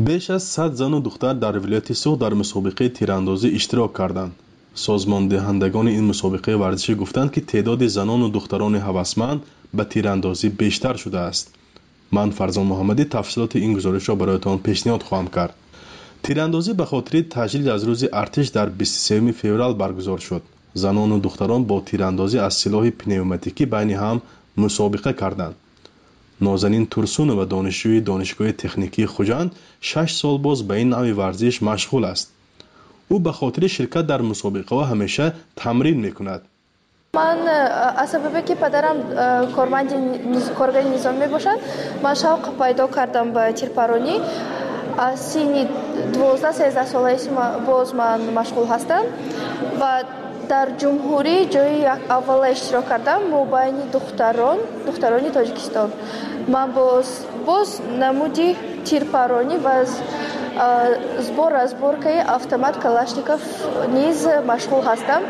Беш аз 100 зану духтар дар вилояти Суғд дар мусобиқаи тирандозӣ иштирок карданд. Созмондиҳандагони ин мусобиқаи варзишӣ гуфтанд, ки теъдоди занону духтарони ҳавасманд ба тирандозӣ бештар шудааст. Ман Фарзон Муҳаммадӣ тафсилоти ин гузоришро бароятон пешниҳод хоҳам кард. Тирандозӣ ба хотири таҷлил аз рӯзи артиш дар 23 феврал баргузор шуд. Занону духтарон бо тирандозӣ аз силоҳи пневматикӣ байни ҳам мусобиқа карданд. Нозанин Турсунова, донишҷӯи Донишгоҳи техникии Хуҷанд, 6 сол боз ба ин навъи варзиш машғул аст. Ӯ ба хотири ширкат дар мусобиқаҳо ҳамеша тамрин мекунад. Ман аз сабабе ки падарам корманди коргари низом мебошад, ман шавқ пайдо кардам ба тирпаронӣ. Аз синни 12-13 солаи боз ман машғул ҳастам ва дар ҷумҳурӣ ҷои аввала иштирок кардам мобайни духтарони Тоҷикистон. Ман боз намуди тирпаронӣ ва сбор разборкаи автомат Калашников низ машғул ҳастам,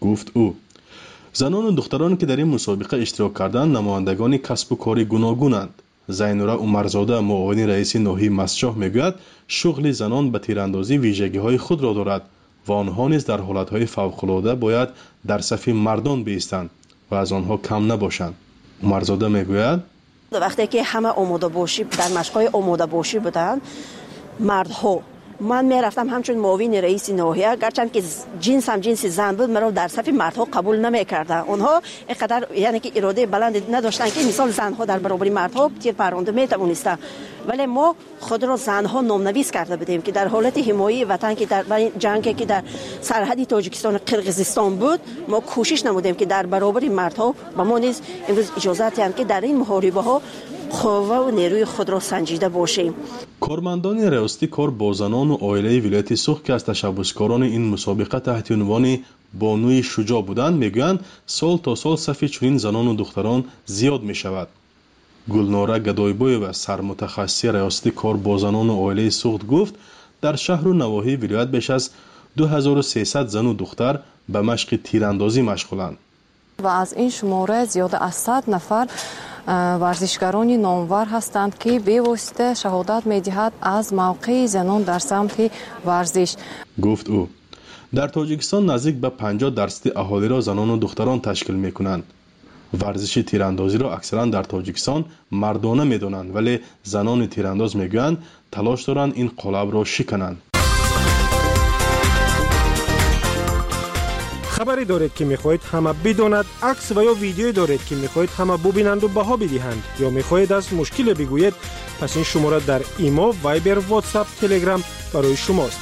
гуфт ӯ. Занону духтароне ки дар ин мусобиқа иштирок карданд, намояндагони касбу кори гуногунанд. Зайнура Умарзода, муовини раиси ноҳияи Мастчоҳ, мегӯяд, шуғли занон ба тирандозӣ вижагиҳои худро дорад ва онҳо низ дар ҳолатҳои фавқулода бояд дар сафи мардон биистанд ва аз онҳо кам набошанд. Умарзода мегӯяд: вақте ки ҳама омодабошӣ дар машқҳои омодабошӣ буданд мардҳо, ман мерафтам ҳамчун муовини раиси ноҳия, гарчанд ки ҷинсам ҷинси зан буд, маро дар сафи мардҳо қабул намекарданд. Онҳо инқадар, яъне ки иродаи баланд надоштанд, ки мисол занҳо дар баробари мардҳо тир паронда метавонистанд. Вале мо худро занҳо номнавис карда будем, ки дар ҳолати ҳимояи ватан, ки дар ҷанге ки дар сарҳади Тоҷикистон ва Қирғизистон буд, мо кӯшиш намудем, ки дар баробари мардҳо ба мо низ имрӯз иҷозат диҳанд, ки дар ин муҳорибаҳо қувва ва нерӯи худро санҷида бошем. Кормандони раёсати кор бо занону оилаи вилояти Суғд, ки аз ташаббускорони ин мусобиқа таҳти унвони бонуи шуҷоъ буданд, мегӯянд, сол то сол сафи чунин занону духтарон зиёд мешавад. Гулнора Гадойбоева, сармутахассиси раёсати кор бо занону оилаи Суғд, гуфт, дар шаҳру навоҳии вилоят беш аз 2300 зану духтар ба машқи тирандозӣ машғуланд. Ва аз ин шумора зиёда аз 100 нафар варзишгарони номвар ҳастанд, ки бевосита шаҳодат медиҳад аз мавқеи занон дар самти варзиш, гуфт ӯ. Дар Тоҷикистон наздик ба 50% аҳолиро занону духтарон ташкил мекунанд. Варзиши тирандозиро аксаран дар Тоҷикистон мардона медонанд, вале занони тирандоз мегӯянд, талош доранд ин қолабро шикананд. Хабаре доред, ки мехоҳед ҳама бидонад, акс ва ё видеое доред, ки мехоҳед ҳама бубинанду баҳо бидиҳанд, ё мехоҳед аз мушкиле бигӯед, пас ин шумора дар Имо, Вайбер, Ватсап, Телеграм барои шумост.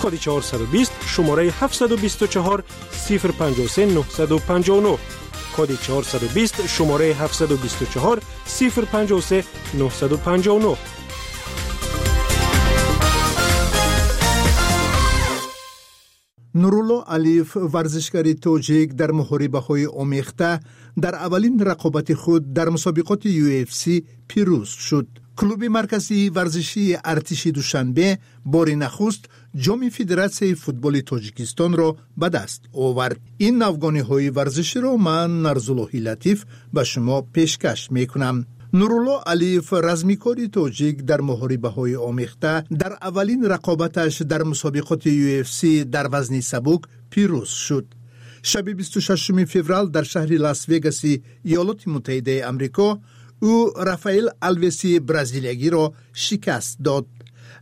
Коди 420, шумораи 724 053 959. Коди 420, шумораи 724 053 959. Нурулло Алиев, варзишгари тоҷик, дар муҳорибаҳои омехта дар аввалин рақобати худ дар мусобиқоти UFC пирӯз шуд. Клуби марказии варзишии Артиши Душанбе бори нахуст ҷоми Федератсияи футболи Тоҷикистонро ба даст овард. Ин навгониҳои варзиширо ман, Нарзуллоҳи Латиф, ба шумо пешкаш мекунам. Нурулло Алиев, размикори тоҷик, дар муҳорибаҳои омехта дар аввалин рақобаташ дар мусобиқоти UFC дар вазни сабук пирӯз шуд. Шаби 26 феврал дар шаҳри Лас-Вегаси Иёлоти Муттаҳидаи Амрико ӯ Рафаэл Алвеси бразилиягиро шикаст дод.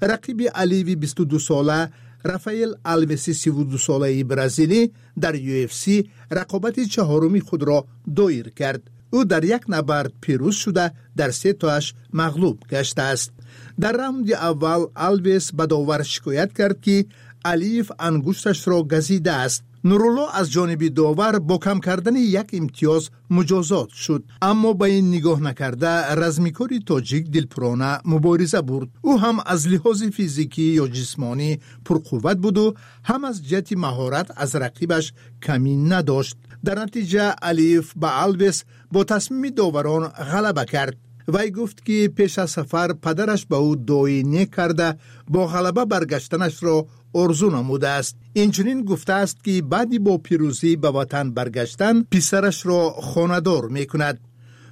Рақиби Алиеви 22сола, Рафаэл Алвеси 32солаи бразилӣ, дар UFC рақобати чаҳоруми худро доир кард. Ӯ дар як набард пирӯз шуда, дар се тоаш мағлуб гаштааст. Дар раунди аввал Алвес ба довар шикоят кард, ки Алиев ангушташро газидааст. Нурулло аз ҷониби довар бо кам кардани як имтиёз муҷозот шуд, аммо ба ин нигоҳ накарда, размикори тоҷик дилпурона мубориза бурд. Ӯ ҳам аз лиҳози физикӣ ё ҷисмонӣ пурқувват буду ҳам аз ҷиҳати маҳорат аз рақибаш камӣ надошт. Дар натиҷа Алиев ба Алвес бо тасмими доварон ғалаба кард. Вай гуфт, ки пеш аз сафар падараш ба ӯ дуои нек карда, бо ғалаба баргаштанашро орзу намудааст. Инчунин гуфтааст, ки баъди бо пирӯзӣ ба ватан баргаштан писарашро хонадор мекунад.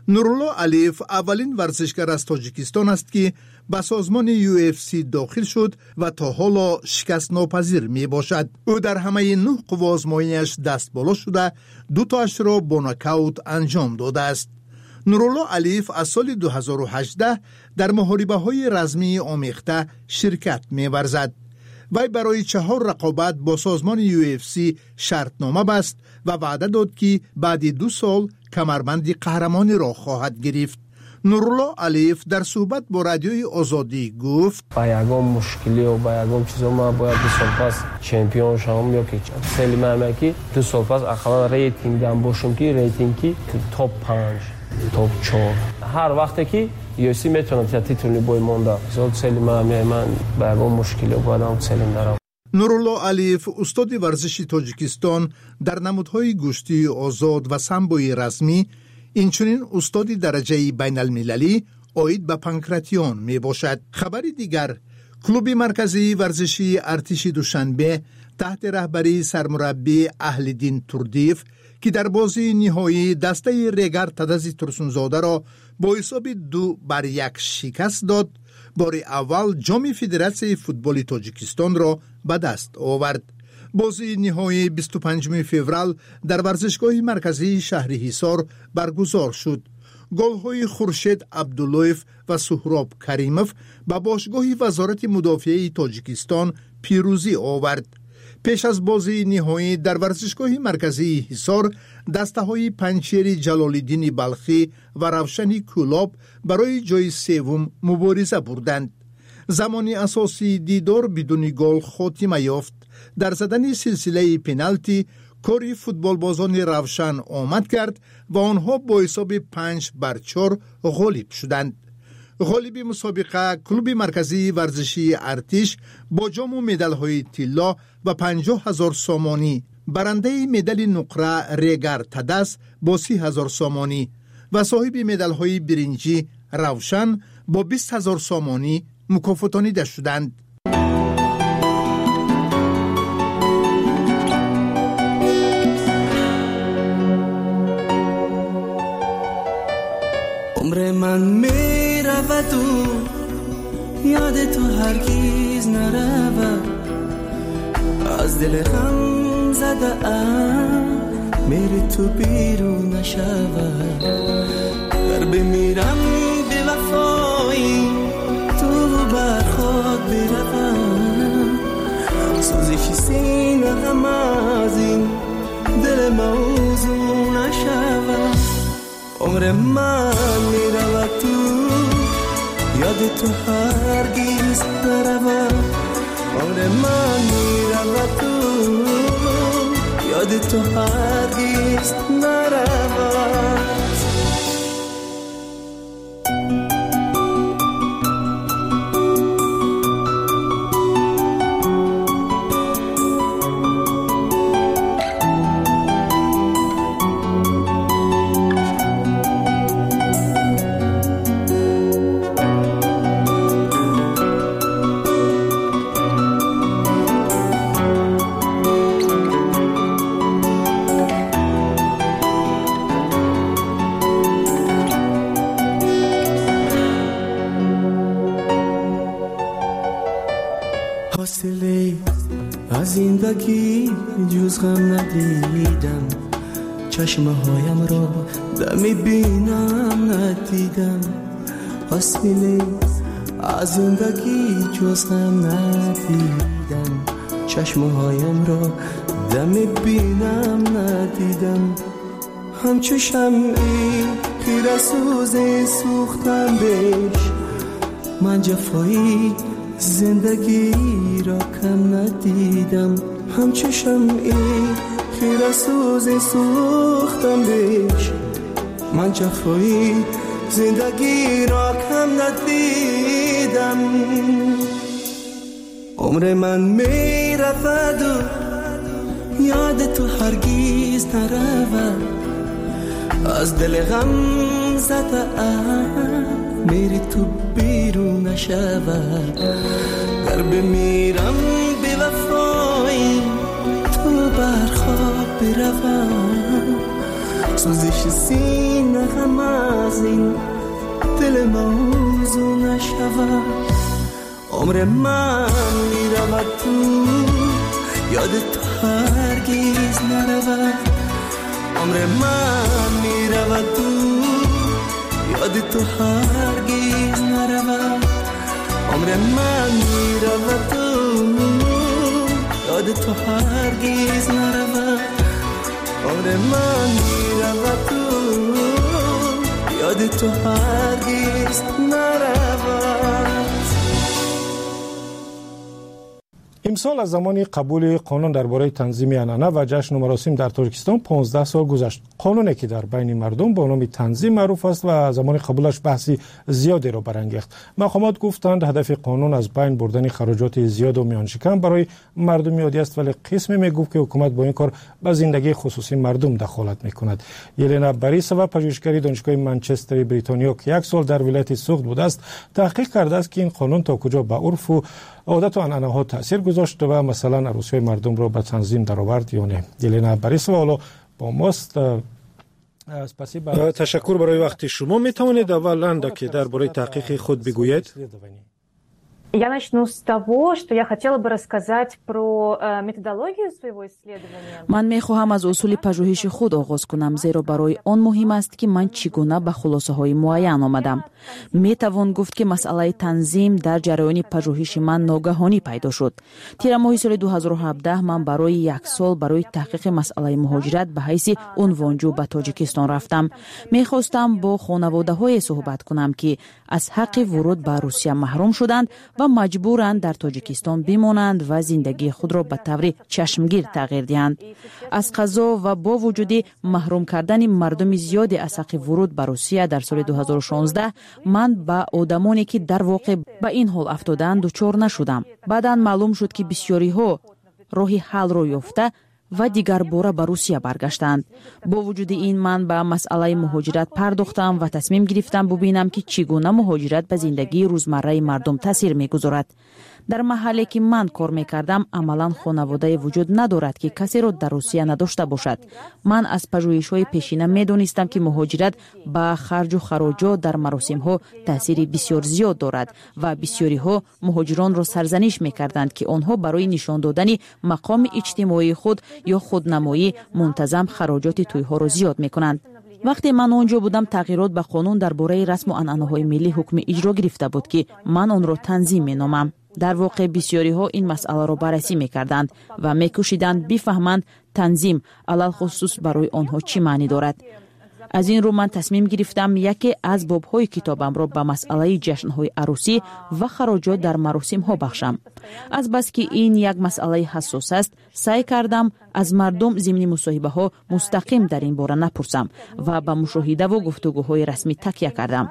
Нурулло Алиев аввалин варзишгар аз Тоҷикистон аст, ки ба созмони UFC дохил шуд ва то ҳоло шикастнопазир мебошад. Ӯ дар ҳамаи нӯҳ қувваозмоияш дастболо шуда, дутоашро бо нокаут анҷом додааст. Нурулло Алиев аз соли 2018 дар муҳорибаҳои размии омехта ширкат меварзад. Вай барои чаҳор рақобат бо созмони UFC шартнома баст ва ваъда дод, ки баъди 2 сол камарбанди қаҳрамониро хоҳад гирифт. Нурулло Алиев дар суҳбат бо Радиои Озодӣ гуфт: Ба ягон мушкилиё, ба ягон чизо ман бояд 2 сол пас чемпион шавам, ё ки цели ман ҳаме ки 2 сол пас ақаллан рейтингдам бошам, ки рейтинги топ 5, топ 4. Ҳар вақте ки UFC метавонад титульный бой монда. Мисол, цели ман ҳаме, ман ба ягон мушкилиё бояд ам целим дарам. Нурулло Алиев устоди варзиши Тоҷикистон дар намудҳои гӯштии озод ва самбои размӣ, инчунин устоди дараҷаи байналмилалӣ оид ба панкратион мебошад. Хабари дигар: клуби марказии варзишии артиши Душанбе таҳти раҳбарии сармураббӣ Аҳлиддин Турдиев, ки дар бозии ниҳоӣ дастаи Регар Тадази Турсунзодаро бо ҳисоби 2-1 шикаст дод, бори аввал ҷоми Федератсияи футболи Тоҷикистонро ба даст овард. Бозии ниҳоӣ 25 феврал дар варзишгоҳи марказии шаҳри Ҳисор баргузор шуд. Голҳои Хуршед Абдуллоев ва Суҳроб Каримов ба бошгоҳи Вазорати мудофиаи Тоҷикистон пирӯзӣ овард. Пеш аз бозии ниҳоӣ дар варзишгоҳи марказии Ҳисор дастаҳои Панҷшери Ҷалолиддини Балхӣ ва Равшани Кӯлоб барои ҷои севум мубориза бурданд. Замони асосии дидор бидуни гол хотима ёфт. Дар задани силсилаи пеналти кори футболбозони Равшан омад кард ва онҳо бо ҳисоби 5-4 ғолиб шуданд. Ғолиби мусобиқа, клуби марказии варзишии артиш, бо ҷому медалҳои тилло ва 50 000 сомонӣ, барандаи медали нуқра Регар Тадас бо 30 000 сомонӣ ва соҳиби медалҳои биринҷӣ Равшан бо 20 000 сомонӣ мукофотонида шуданд. Умри ман мераваду ёди ту ҳаргиз наравад, аз дили ғам задаам мери ту берун нашавад. Гар бимирам бевафои ту бар хок биравам, сӯзиши сина ғам аз ин дил мавзун нашавад. Умри ман меравад ту ёди ту ҳаргиз наравад. Умри ман меравад ту ёди ту ҳаргиз наравад. Ҳосиле аз зиндагӣ ҷуз ғам надидам, чашмаҳоямро дами бинам надидам. Ҳосиле аз зиндагӣ ҷуз ғам надидам, чашмаҳоямро дами бинам надидам. Ҳамчу шамъи хирасӯзе сӯхтам беш, ман ҷафои зиндагиро кам надидам. Ҳамчу шамъи хирасӯзе сӯхтам беш, ман ҷафои зиндагиро кам надидам. Умри ман мераваду ёди ту ҳаргиз наравад, аз дили ғам задаам мери ту берун нашавад. Гар бимирам бевафои ту бар хок биравам, сӯзиши сина ғам аз ин دل موضوع نشود. عمر من میرود تو یاد تو هرگز نرود. عمر من میرود تو یاد تو هرگز نرود. عمر من میرود تو یاد تو هرگز نرود. عمر من میرود تو یاد تو هرگز نرود. Имсол аз замони қабули қонун дар бораи танзими анъана ва ҷашну маросим дар Тоҷикистон 15 сол гузашт. Қонуне ки дар байни мардум бо номи танзим маъруф аст ва замони қабулаш баҳси зиёдеро барангехт. Мақомот гуфтанд, ҳадафи қонун аз байн бурдани хароҷоти зиёду миёншикан барои мардуми оддӣ аст, вале қисме мегуфт, ки ҳукумат бо ин кор ба зиндагии хусусии мардум дахолат мекунад. Елена Борисова, пажӯҳишгари Донишгоҳи Манчестери Бритониё, ки як сол дар вилояти Суғд будааст, таҳқиқ кардааст, ки ин қонун то куҷо ба урфу одату анъанаҳо таъсир гузошт ва масалан арӯсиҳои мардумро ба танзим даровард ё не. Елена Борисова ҳоло бо мост. Ташаккур барои вақти шумо. Метавонед аввал андаке дар бораи таҳқиқи худ бигӯед? Я начну с того, что я хотела бы рассказать про методологию своего исследования. Ман мехоҳам аз усули пажӯҳиши худ оғоз кунам, зеро барои он муҳим аст, ки ман чӣ гуна ба хулосаҳои муайян омадам. Метавон гуфт, ки масъалаи танзим дар ҷараёни пажӯҳиши ман ногаҳонӣ пайдо шуд. Тирамоҳи соли 2017 ман барои як сол барои таҳқиқи масъалаи муҳоҷират ба ҳайси унвонҷӯ ба Тоҷикистон рафтам. Мехостам бо хонаводаҳое суҳбат кунам, ки аз ҳаққи вуруд ба Русия маҳрум шуданд ва маҷбуранд дар Тоҷикистон бимонанд ва зиндагии худро ба таври чашмгир тағйир диҳанд. Аз қазо ва бо вуҷуди маҳрум кардани мардуми зиёде аз ҳаққи вуруд ба Русия дар соли 2016, ман ба одамоне, ки дар воқеъ ба ин ҳол афтодаанд, дучор нашудам. Баъдан маълум шуд, ки бисёриҳо роҳи ҳаллро ёфта ва дигарбора ба Русия баргаштанд. Бо вуҷуди ин, ман ба масъалаи муҳоҷират пардохтам ва тасмим гирифтам бубинам, ки чӣ гуна муҳоҷират ба зиндагии рӯзмарраи мардум таъсир мегузорад. Дар маҳалле, ки ман кор мекардам, амалан хонаводае вуҷуд надорад, ки касеро дар Русия надошта бошад. Ман аз пажӯҳишҳои пешина медонистам, ки муҳоҷират ба харҷу хароҷот дар маросимҳо таъсири бисёр зиёд дорад ва бисёриҳо муҳоҷиронро сарзаниш мекарданд, ки онҳо барои нишон додани мақоми иҷтимоии худ ё худнамоӣ мунтазам хароҷоти тӯйҳоро зиёд мекунанд. Вақте ман он ҷо будам, тағйирот ба қонун дар бораи расму анъанаҳои миллӣ ҳукми иҷро гирифта буд, ки ман онро танзим меномам. Дар воқеъ, бисёриҳо ин масъаларо баррасӣ мекарданд ва мекӯшиданд бифаҳманд, танзим алалхусус барои онҳо чӣ маънӣ дорад. Аз ин рӯ ман тасмим гирифтам яке аз бобҳои китобамро ба масъалаи ҷашнҳои арӯсӣ ва хароҷот дар маросимҳо бахшам. Азбаски ин як масъалаи ҳассос аст, саъй кардам аз мардум зимни мусоҳибаҳо мустақим дар ин бора напурсам ва ба мушоҳидаву гуфтугӯҳои расмӣ такя кардам.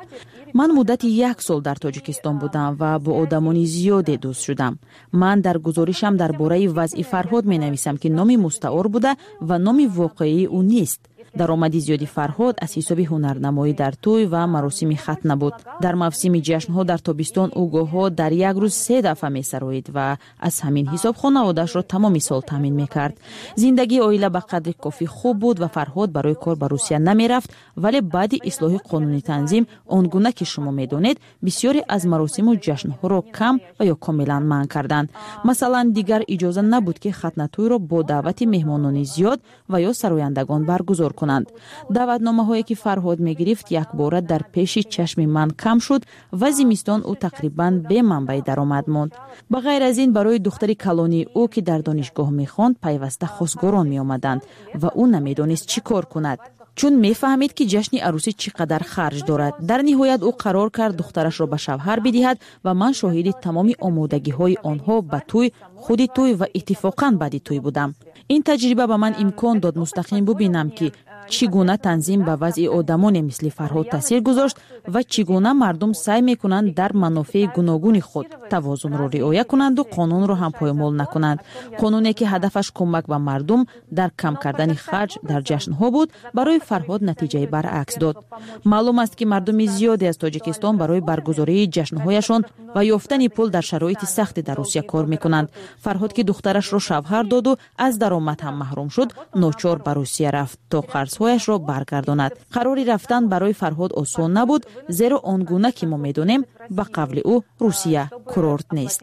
Ман муддати як сол дар Тоҷикистон будам ва бо одамони зиёде дӯст шудам. Ман дар гузоришам дар бораи вазъи Фарҳод менависам, ки номи мустаор буда ва номи воқеии ӯ нест. Даромади зиёди Фарҳод аз ҳисоби ҳунарнамоӣ дар тӯй ва маросими хатна буд. Дар мавсими ҷашнҳо дар тобистон ӯ гоҳҳо дар як рӯз се дафъа месароид ва аз ҳамин ҳисоб хонаводаашро тамоми сол таъмин мекард. Зиндагии оила ба қадри кофӣ хуб буд ва Фарҳод барои кор ба Русия намерафт, вале баъди ислоҳи қонуни танзим, он гуна ки шумо медонед, бисёре аз маросиму ҷашнҳоро кам ва ё комилан манъ карданд. Масалан, дигар иҷоза набуд, ки хатнатӯйро бо даъвати меҳмонони зиёд ва ё сарояндагон баргузор кунанд. Даъватномаҳое, ки Фарҳод мегирифт, якбора дар пеши чашми ман кам шуд ва зимистон ӯ тақрибан бе манбаи даромад монд. Ба ғайр аз ин, барои духтари калонии ӯ, ки дар донишгоҳ мехонд, пайваста хосгорон меомаданд ва ӯ намедонист, чӣ кор кунад, чун мефаҳмид, ки ҷашни арӯсӣ чӣ қадар харҷ дорад. Дар ниҳоят ӯ қарор кард духтарашро ба шавҳар бидиҳад ва ман шоҳиди тамоми омодагиҳои онҳо ба тӯй, худи тӯй ва иттифоқан баъди тӯй будам. Ин таҷриба ба ман имкон дод мустақим бубинам, ки чӣ гуна танзим ба вазъи одамоне мисли Фарҳод таъсир гузошт ва чӣ гуна мардум саъй мекунанд дар манофеи гуногуни худ тавозунро риоя кунанду қонунро ҳам поймол накунанд. Қонуне, ки ҳадафаш кӯмак ба мардум дар кам кардани харҷ дар ҷашнҳо буд, барои Фарҳод натиҷаи баръакс дод. Маълум аст, ки мардуми зиёде аз Тоҷикистон барои баргузории ҷашнҳояшон ва ёфтани пул дар шароити сахте дар Русия кор мекунанд. Фарҳод, ки духтарашро шавҳар доду аз даромад ҳам маҳрум шуд, ночор ба Русия рафт, то қарзҳо қарзҳояшро баргардонад. Қарори рафтан барои Фарҳод осон набуд, зеро он гуна ки мо медонем, ба қавли ӯ, Русия курорт нест.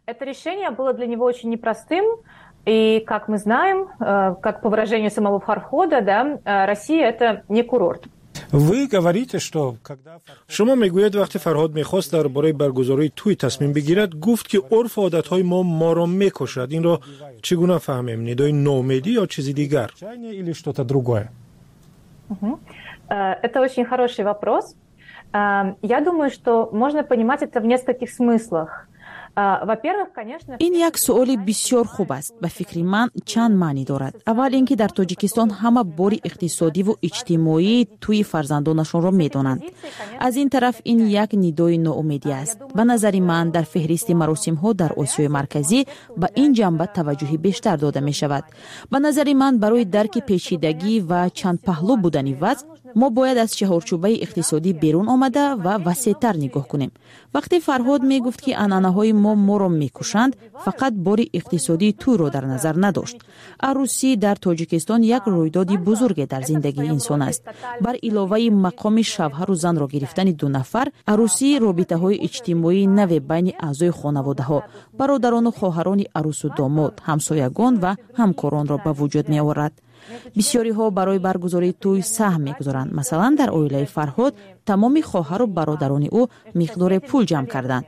Это решение было для него очень непростым. И, как мы знаем, как по выражению самого Фархода, да, Россия – это не курорт. Вы говорите, что когда шумо мегӯед, вақте Фарҳод мехост дар бораи баргузории тӯй тасмим бигирад, гуфт, ки урфу одатҳои мо моро мекушад. Инро чӣ гуна фаҳмем: нидои ноумедӣ ё чизи дигар, или что-то другое? Это очень хороший вопрос. Я думаю, что можно понимать это в нескольких смыслах. Ин як суоли бисёр хуб аст. Ба фикри ман, чанд маънӣ дорад. Аввал ин ки дар Тоҷикистон ҳама бори иқтисодиву иҷтимоии тӯи фарзандонашонро медонанд. Аз ин тараф, ин як нидои ноумедӣ аст. Ба назари ман, дар феҳристи маросимҳо дар Осиёи Марказӣ ба ин ҷанба таваҷҷӯҳи бештар дода мешавад. Ба назари ман, барои дарки печидагӣ ва чандпаҳлӯ будани вазъ мо бояд аз чаҳорчӯбаи иқтисодӣ берун омада ва васеътар нигоҳ кунем. Вақте Фарҳод мегуфт, ки анъанаҳои мо моро мекушанд, фақат бори иқтисодии тӯйро дар назар надошт. Арӯсӣ дар Тоҷикистон як рӯйдоди бузурге дар зиндагии инсон аст. Бар иловаи мақоми шавҳару занро гирифтани ду нафар, арӯсӣ робитаҳои иҷтимоии наве байни аъзои хонаводаҳо, бародарону хоҳарони арӯсу домод, ҳамсоягон ва ҳамкоронро ба вуҷуд меорад. Бисёриҳо барои баргузории тӯй саҳм мегузоранд. Масалан, дар оилаи Фарҳод тамоми хоҳару бародарони ӯ миқдоре пул ҷамъ карданд.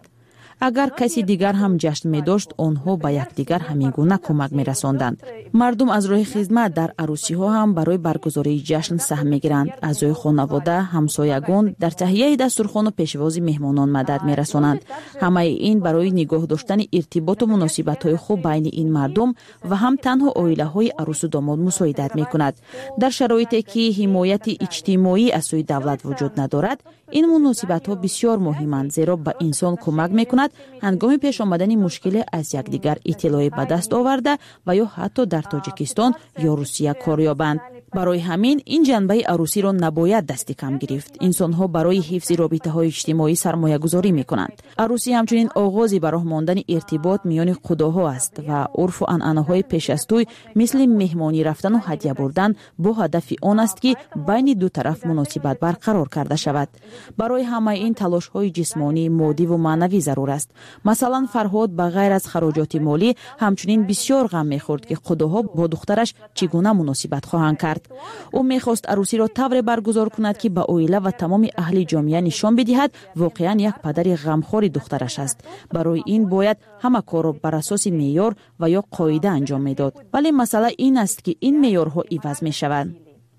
Агар каси дигар ҳам ҷашн медошт, онҳо ба якдигар ҳамин гуна кӯмак мерасонданд. Мардум аз роҳи хизмат дар арӯсиҳо ҳам барои баргузории ҷашн саҳм мегиранд. Аъзои хонавода, ҳамсоягон дар таҳияи дастурхону пешвози меҳмонон мадад мерасонанд. Ҳамаи ин барои нигоҳ доштани иртиботу муносибатҳои хуб байни ин мардум ва ҳам танҳо оилаҳои арӯсу домод мусоидат мекунад. Дар шароите ки ҳимояти иҷтимоӣ аз сӯи давлат вуҷуд надорад, ин муносибатҳо бисёр муҳиманд, зеро ба инсон кӯмак мекунад ҳангоми пеш омадани мушкиле аз якдигар иттилоъе ба даст оварда ва ё ҳатто дар Тоҷикистон ё Русия кор ёбанд. Барои ҳамин ин ҷанбаи арӯсиро набояд дасти кам гирифт. Инсонҳо барои ҳифзи робитаҳои иҷтимоӣ сармоягузорӣ мекунанд. Арӯсӣ ҳамчунин оғози ба роҳ мондани иртибот миёни қудоҳо аст ва урфу анъанаҳои пеш аз тӯй, мисли меҳмонӣ рафтану ҳадя бурдан, бо ҳадафи он аст, ки байни ду тараф муносибат барқарор карда шавад. Барои ҳамаи ин талошҳои ҷисмонӣ, моддиву маънавӣ зарур аст. Масалан, Фарҳод ба ғайр аз хароҷоти молӣ ҳамчунин бисёр ғам мехӯрд, ки қудоҳо бо духтараш чӣ гуна муносибат хоҳанд кард. Ӯ мехост арӯсиро тавре баргузор кунад, ки ба оила ва тамоми аҳли ҷомеа нишон бидиҳад, воқеан як падари ғамхори духтараш аст. Барои ин бояд ҳама корро бар асоси меъёр ва ё қоида анҷом медод. Вале масъала ин аст, ки ин меъёрҳо иваз мешаванд.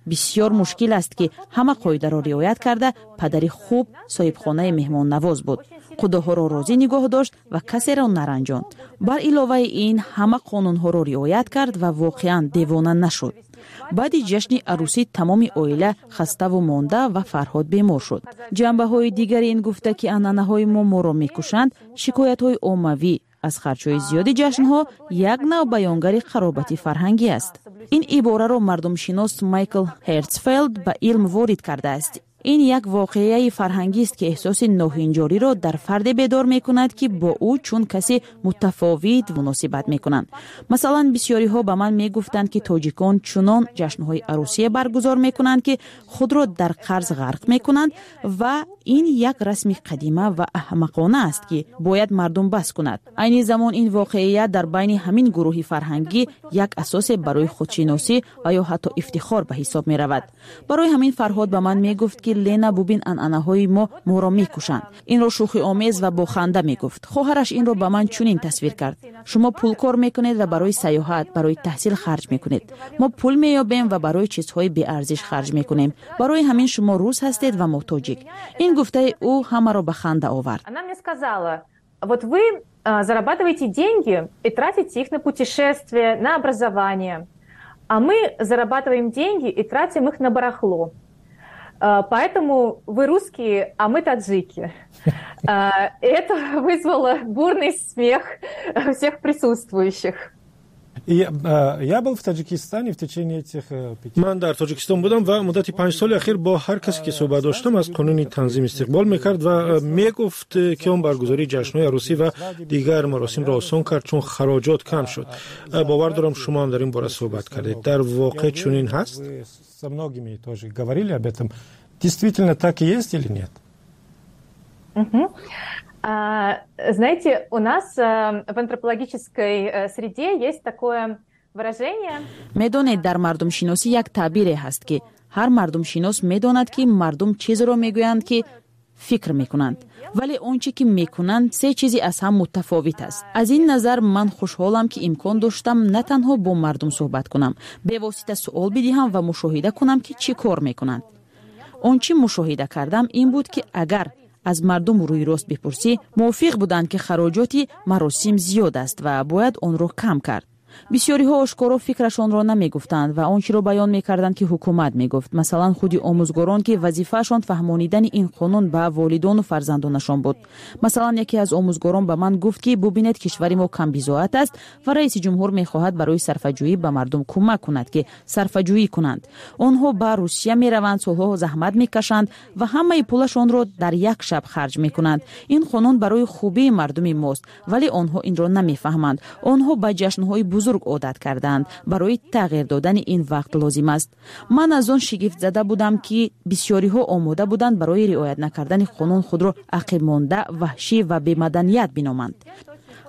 Бисёр мушкил аст, ки ҳама қоидаро риоят карда. Падари хуб, соҳибхонаи меҳмоннавоз буд, қудоҳоро розӣ нигоҳ дошт ва касеро наранҷонд. Бар иловаи ин, ҳама қонунҳоро риоят кард ва воқеан девона нашуд. Баъди ҷашни арӯсӣ тамоми оила хаставу монда ва Фарҳод бемор шуд. Ҷанбаҳои дигари ин гуфта, ки анъанаҳои мо моро мекушанд, шикоятҳои оммавӣ аз харҷҳои зиёди ҷашнҳо як нав баёнгари қаробати фарҳангӣ аст. Ин ибораро мардумшинос Майкл Ҳертсфелд ба илм ворид кардааст. Ин як воқеаи фарҳангист, ки эҳсоси ноҳинҷориро дар фарде бедор мекунад, ки бо ӯ чун касе мутафовит муносибат мекунанд. Масалан, бисёриҳо ба ман мегуфтанд, ки тоҷикон чунон ҷашнҳои арӯсие баргузор мекунанд, ки худро дар қарз ғарқ мекунанд, ва ин як расми қадима ва аҳмақона аст, ки бояд мардум бас кунад. Айни замон ин воқеият дар байни ҳамин гурӯҳи фарҳангӣ як асосе барои худшиносӣ ва ё ҳатто ифтихор ба ҳисоб меравад. Барои ҳамин Фарҳод ба ман мегуфт, ки «Лена, бубин, анъанаҳои мо моро мекушанд». Инро шӯхиомез ва бо ханда мегуфт. Хоҳараш инро ба ман чунин тасвир кард: «Шумо пул кор мекунед ва барои сайёҳат, барои таҳсил харҷ мекунед. Мо пул меёбем ва барои чизҳои беарзиш харҷ мекунем. Барои ҳамин шумо рус ҳастед ва мо тоҷик». Ин гуфтаи ӯ ҳамаро ба ханда овард. Она мне сказала: вот вы зарабатываете деньги и тратите их на путешествия, на образование, а мы зарабатываем деньги и тратим их на барахло. Поэтому вы русские, а мы таджики». Это вызвало бурный смех всех присутствующих. Я был в Таджикистане в течение этих Ман дар Тоҷикистон будам ва муддати 5 соли ахир бо ҳар касе ки суҳбат доштам, аз қонуни танзим истиқбол мекард ва мегуфт, ки он баргузории ҷашнҳои арӯсӣ ва дигар маросимро осон кард, чун хароҷот кам шуд. Бовар дорам, шумо ҳам дар ин бора суҳбат кардед. Дар воқеъ чунин ҳаст? Со многими тоже говорили об этом. Действительно так и есть или нет? Знаете, у нас в антропологической среде есть такое выражение. Медонед, дар мардумшиносӣ як таъбире ҳаст, ки ҳар мардумшинос медонад, ки мардум чизеро мегӯянд, ки фикр мекунанд, вале он чӣ ки мекунанд, се чизи аз ҳам мутафовит аст. Аз ин назар ман хушҳолам, ки имкон доштам на танҳо бо мардум суҳбат кунам, бевосита суол бидиҳам ва мушоҳида кунам, ки чӣ кор мекунанд. Он чӣ мушоҳида кардам, ин буд, ки агар аз мардум рӯйрост бипурсӣ, мувофиқ буданд, ки хароҷоти маросим зиёд аст ва бояд онро кам кард. Бисёриҳо ошкоро фикрашонро намегуфтанд ва он чиро баён мекарданд, ки ҳукумат мегуфт. Масалан, худи омӯзгорон, ки вазифаашон фаҳмонидани ин қонун ба волидону фарзандонашон буд. Масалан, яке аз омӯзгорон ба ман гуфт, ки бубинед, кишвари мо камбизоат аст ва раиси ҷумҳур мехоҳад барои сарфаҷӯӣ ба мардум кӯмак кунад, ки сарфаҷӯӣ кунанд. Онҳо ба Русия мераванд, солҳо заҳмат мекашанд ва ҳамаи пулашонро дар як шаб харҷ мекунанд. Ин қонун барои хубии мардуми мост, вале онҳо инро намефаҳманд. Онҳо ба ҷашнҳои бузург одат кардаанд. Барои тағйир додани ин вақт лозим аст. Ман аз он шигифтзада будам, ки бисёриҳо омода буданд барои риоят накардани қонун худро ақибмонда, ваҳшӣ ва бемаданият биноманд.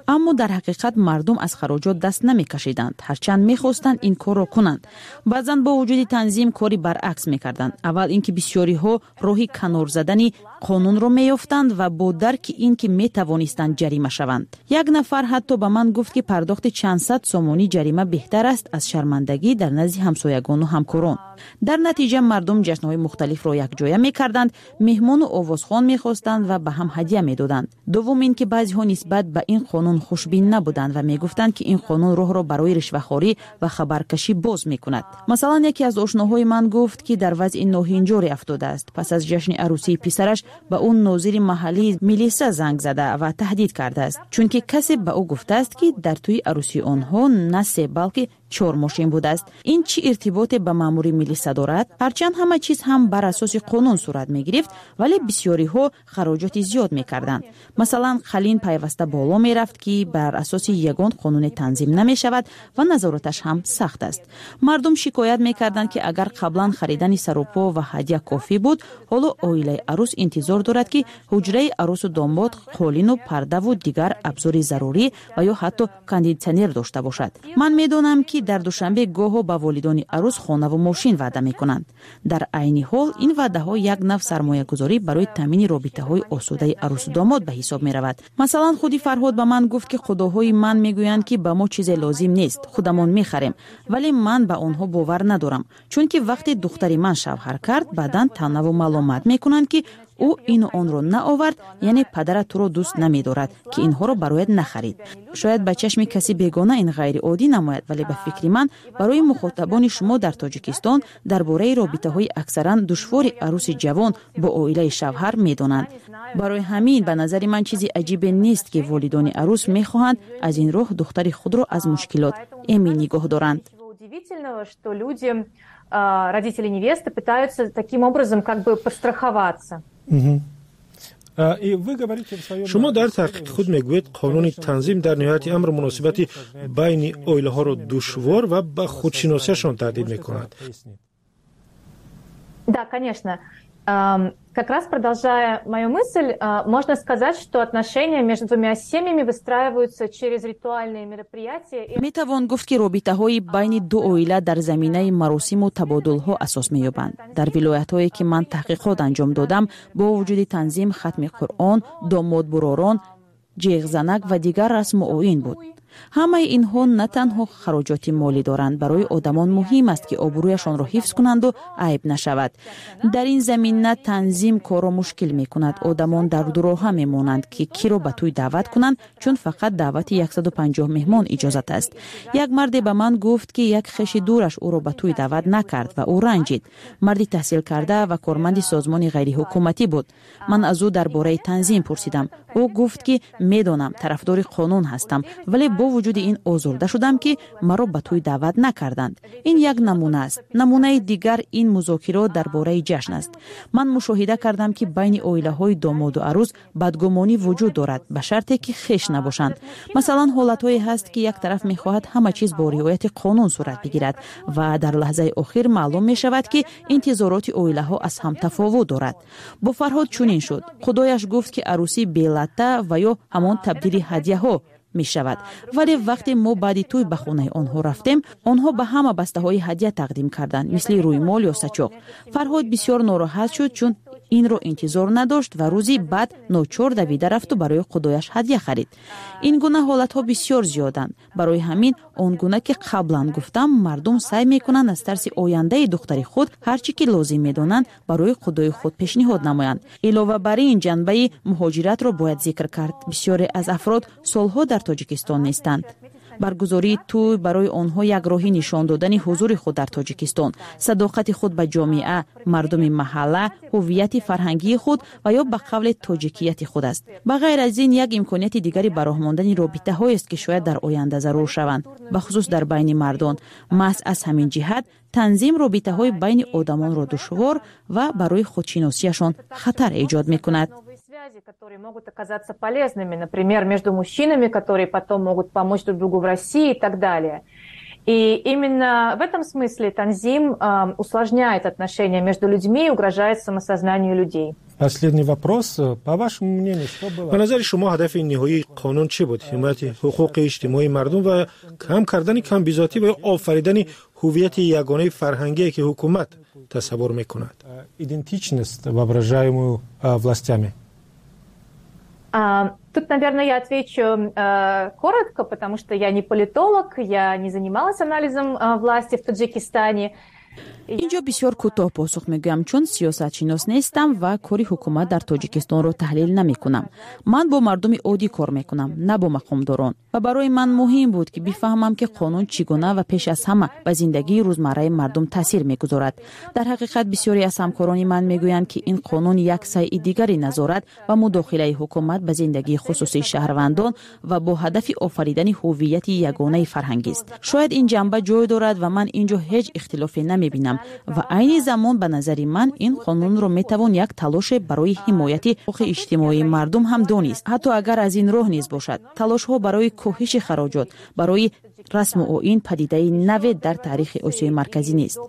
Аммо дар ҳақиқат мардум аз хароҷот даст намекашиданд, ҳарчанд мехостанд ин корро кунанд. Баъзан бо вуҷуди танзим кори баръакс мекарданд. Аввал ин ки бисёриҳо роҳи канор задани қонунро меёфтанд ва бо дарки ин ки метавонистанд ҷарима шаванд. Як нафар ҳатто ба ман гуфт, ки пардохти чанд сад сомонӣ ҷарима беҳтар аст аз шармандагӣ дар назди ҳамсоягону ҳамкорон. Дар натиҷа мардум ҷашнҳои мухталифро якҷоя мекарданд, меҳмону овозхон мехостанд ва ба ҳам ҳадя медоданд. Дуввум ин ки баъзеҳо нисбат ба ин қонун хушбин набуданд ва мегуфтанд, ки ин қонун роҳро барои ришвахорӣ ва хабаркашӣ боз мекунад. Масалан, яке аз ошноҳои ман гуфт, ки дар вазъи ноҳинҷоре афтодааст. Пас аз ҷашни арӯсии писараш ба ӯ нозири маҳаллии милиса занг зада ва таҳдид кардааст, чунки касе ба ӯ гуфтааст, ки дар тӯи арӯсии онҳо на се, балки чор мошин будааст. Ин чӣ иртиботе ба маъмури милиса дорад? Ҳарчанд ҳама чиз ҳам бар асоси қонун сурат мегирифт, вале бисёриҳо хароҷоти зиёд мекарданд. Масалан, қалин пайваста боло мерафт, ки бар асоси ягон қонуне танзим намешавад ва назораташ ҳам сахт аст. Мардум шикоят мекарданд, ки агар қаблан харидани сарупо ва ҳадя кофӣ буд, ҳоло оилаи арӯс интизор дорад, ки ҳуҷраи арӯсу домод қолину пардаву дигар абзори зарурӣ ва ё ҳатто кондитсионер дошта бошад. Ман медонам, ки дар Душанбе гоҳо ба волидони арӯс хонаву мошин ваъда мекунанд. Дар айни ҳол ин ваъдаҳо як нав сармоягузорӣ барои таъмини робитаҳои осудаи арӯсу домод ба ҳисоб меравад. Масалан, худи Фарҳод ба ман гуфт, ки қудоҳои ман мегӯянд, ки ба мо чизе лозим нест, худамон мехарем, вале ман ба онҳо бовар надорам, чунки вақте духтари ман шавҳар кард, баъдан таънаву маломат мекунанд, ки ӯ ину онро наовард, яъне падарат туро дӯст намедорад, ки инҳоро барояд нахарид. Шояд ба чашми каси бегона ин ғайриоддӣ намояд, вале ба фикри ман, барои мухотабони шумо дар Тоҷикистон дар бораи робитаҳои аксаран душвори арӯси ҷавон бо оилаи шавҳар медонанд. Барои ҳамин ба назари ман чизи аҷибе нест, ки волидони арӯс мехоҳанд аз ин роҳ духтари худро аз мушкилот эмин нигоҳ доранд. Что люди, родители невесты, пытаются таким образом как бы подстраховаться. Шумо дар таҳқиқи худ мегӯед, қонуни танзим дар ниҳояти амр муносибати байни оилаҳоро душвор ва ба худшиносиашон таҳдид мекунад. Да, конечно. Как раз продолжая мою мысль, можно сказать, что отношения между двумя семьями выстраиваются через ритуальные мероприятия. Метавон гуфт, ки робитаҳои байни ду оила дар заминаи маросиму табодулҳо асос меёбанд. Дар вилоятҳое, ки ман таҳқиқот анҷом додам, бо вуҷуди танзим, хатми Қуръон, домодбуророн, ҷеғзанак ва дигар расму оин буд. Ҳамаи инҳо на танҳо хароҷоти молӣ доранд. Барои одамон муҳим аст, ки обрӯяшонро ҳифз кунанду айб нашавад. Дар ин замина танзим корро мушкил мекунад. Одамон дар дуроҳа мемонанд, ки киро ба тӯй даъват кунанд, чун фақат даъвати 150 меҳмон иҷозат аст. Як марде ба ман гуфт, ки як хеши дураш ӯро ба тӯй даъват накард ва ӯ ранҷид. Марди таҳсилкарда ва корманди созмони ғайриҳукуматӣ буд. Ман аз ӯ дар бораи танзим пурсидам. Ӯ гуфт, ки медонам, тарафдори қонун ҳастам, вале бо вуҷуди ин озурда шудам, ки маро ба тӯй даъват накарданд. Ин як намуна аст. Намунаи дигар ин музокирот дар бораи ҷашн аст. Ман мушоҳида кардам, ки байни оилаҳои домоду арӯс бадгумонӣ вуҷуд дорад, ба шарте ки хеш набошанд. Масалан, ҳолатҳое ҳаст, ки як тараф мехоҳад ҳама чиз бо риояти қонун сурат бигирад ва дар лаҳзаи охир маълум мешавад, ки интизороти оилаҳо аз ҳам тафовут дорад. Бо Фарҳод чунин шуд. Худояш гуфт, ки арӯсӣ белатта ва ё ҳамон табдили ҳадяҳо мешавад, вале вақте мо баъди тӯй ба хонаи онҳо рафтем, онҳо ба ҳама бастаҳои ҳадя тақдим карданд, мисли рӯймол ё сачоқ. Фарҳод бисёр нороҳат шуд, чун инро интизор надошт ва рӯзи баъд ночор давида рафту барои худояш ҳадя харид. Ин гуна ҳолатҳо бисёр зиёданд. Барои ҳамин, он гуна ки қаблан гуфтам, мардум саъй мекунанд аз тарси ояндаи духтари худ ҳар чӣ ки лозим медонанд, барои худои худ пешниҳод намоянд. Илова бар ин, ҷанбаи муҳоҷиратро бояд зикр кард. Бисёре аз афрод солҳо дар Тоҷикистон нестанд. Баргузории тӯй барои онҳо як роҳи нишон додани ҳузури худ дар Тоҷикистон, садоқати худ ба ҷомеа, мардуми маҳалла, ҳуввияти фарҳангии худ ва ё ба қавле тоҷикияти худ аст. Ба ғайр аз ин, як имконияти дигари ба роҳ мондани робитаҳоест, ки шояд дар оянда зарур шаванд, бахусус дар байни мардон. Маҳз аз ҳамин ҷиҳат танзим робитаҳои байни одамонро душвор ва барои худшиносиашон хатар эҷод мекунад. Связи, которые могут оказаться полезными, например, между мужчинами, которые потом могут помочь друг другу в России и так далее. И именно в этом смысле танзим усложняет отношения между людьми и угрожает самосознанию людей. Последний вопрос. По вашему мнению, что было? Ба назари шумо, ҳадафи ниҳоии қонун чӣ буд? Ҳимояти ҳуқуқи иҷтимоии мардум ва кам кардани камбизоатӣ ва ё офаридани ҳуввияти ягонаи фарҳангие, ки ҳукумат тасаввур мекунад? Идентичность, воображаемую властями. Тут, наверное, я отвечу коротко, потому что я не политолог, я не занималась анализом власти в Таджикистане. Инҷо бисёр кӯтоҳ посух мегӯям, чун сиёсатшинос нестам ва кори ҳукумат дар Тоҷикистонро таҳлил намекунам. Ман бо мардуми оддӣ кор мекунам, на бо мақомдорон, ва барои ман муҳим буд, ки бифаҳмам, ки қонун чӣ гуна ва пеш аз ҳама ба зиндагии рӯзмарраи мардум таъсир мегузорад. Дар ҳақиқат, бисёре аз ҳамкорони ман мегӯянд, ки ин қонун як сайъи дигари назорат ва мудохилаи ҳукумат ба зиндагии хусусии шаҳрвандон ва бо ҳадафи офаридани ҳуввияти ягонаи фарҳангист. Шояд ин ҷанба ҷой дорад ва ман ин ҷо ҳеҷ ихтилофе намебинам. Ва айни замон, ба назари ман, ин қонунро метавон як талоше барои ҳимояти ҳуқуқи иҷтимоии мардум ҳам донист, ҳатто агар аз ин роҳ низ бошад. Талошҳо барои коҳиши хароҷот барои расму оин падидаи наве дар таърихи Осиёи Марказӣ нест.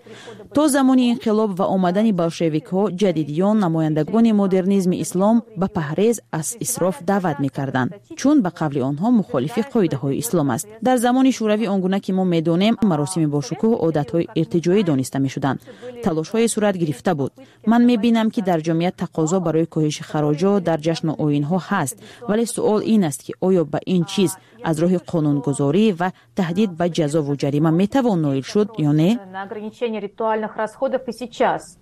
То замони инқилоб ва омадани болшевикҳо, ҷадидиён, намояндагони модернизми ислом ба паҳрез аз исроф даъват мекарданд, чун ба қавли онҳо мухолифи қоидаҳои ислом аст. Дар замони Шӯравӣ, он гуна ки мо медонем, маросими бошукӯҳ одатҳои иртиҷоӣ дониста мешуданд. Талошҳое сурат гирифта буд. Ман мебинам, ки дар ҷомеа тақозо барои коҳиши хароҷот дар ҷашну оинҳо ҳаст, вале суол ин аст, ки оё ба ин чиз аз роҳи қонунгузорӣ ва таҳдид ба ҷазову ҷарима метавон ноил шуд ё не. На ограничение ритуальных расходов и сейчас.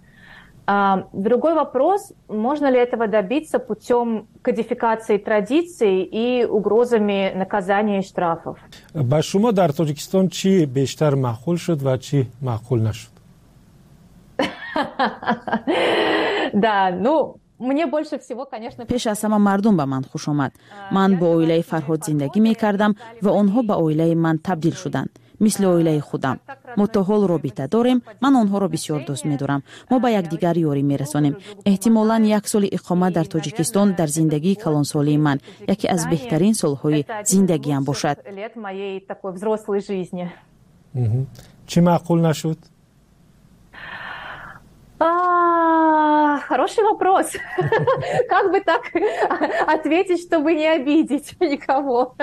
Другой вопрос, можно ли этого добиться путем кодификации традиций и угрозами наказания и штрафов. Ба шумо дар Тоҷикистон чӣ бештар маъқул шуд ва чӣ маъқул нашуд? Да, ну, мне больше всего, конечно. Пеш аз ҳама мардум ба ман хуш омад. Ман бо оилаи Фарҳод зиндагӣ мекардам ва онҳо ба оилаи ман табдил шуданд, мисли оилаи худам. Мо то ҳол робита дорем. Ман онҳоро бисёр дӯст медорам. Мо ба якдигар ёрӣ мерасонем. Эҳтимолан, як соли иқомат дар Тоҷикистон дар зиндагии калонсолии ман яке аз беҳтарин солҳои зиндагиам бошад. Лет моей такой взрослой жизни. Чӣ маъқул нашуд? Хороший вопрос. Как бы так ответить, чтобы не обидеть никого?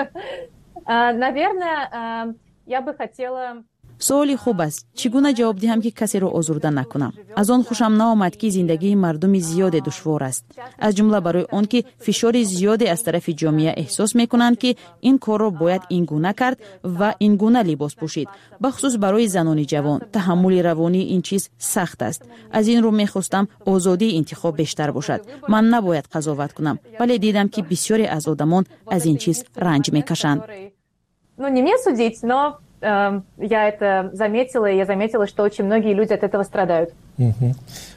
Наверное, я бы хотела. Суоли хуб аст. Чӣ гуна ҷавоб диҳам, ки касеро озурда накунам? Аз он хушам наомад, ки зиндагии мардуми зиёде душвор аст, аз ҷумла барои он ки фишори зиёде аз тарафи ҷомеа эҳсос мекунанд, ки ин корро бояд ин гуна кард ва ин гуна либос пӯшид. Бахусус барои занони ҷавон таҳаммули равонии ин чиз сахт аст. Аз ин рӯ мехостам озодии интихоб бештар бошад. Ман набояд қазоват кунам, вале дидам, ки бисёре аз одамон аз ин чиз ранҷ мекашанд. Ну, не мне судить, но Я это заметила, и я заметила, что очень многие люди от этого страдают.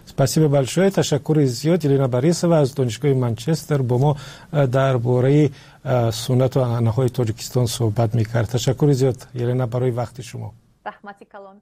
Спасибо большое. Ташаккури зиёд. Елена Борисова аз Донишгоҳи Манчестер бо мо дар бораи суннату анъанаҳои Тоҷикистон суҳбат мекард. Ташаккури зиёд, Елена, барои вақти шумо. Раҳмати калон.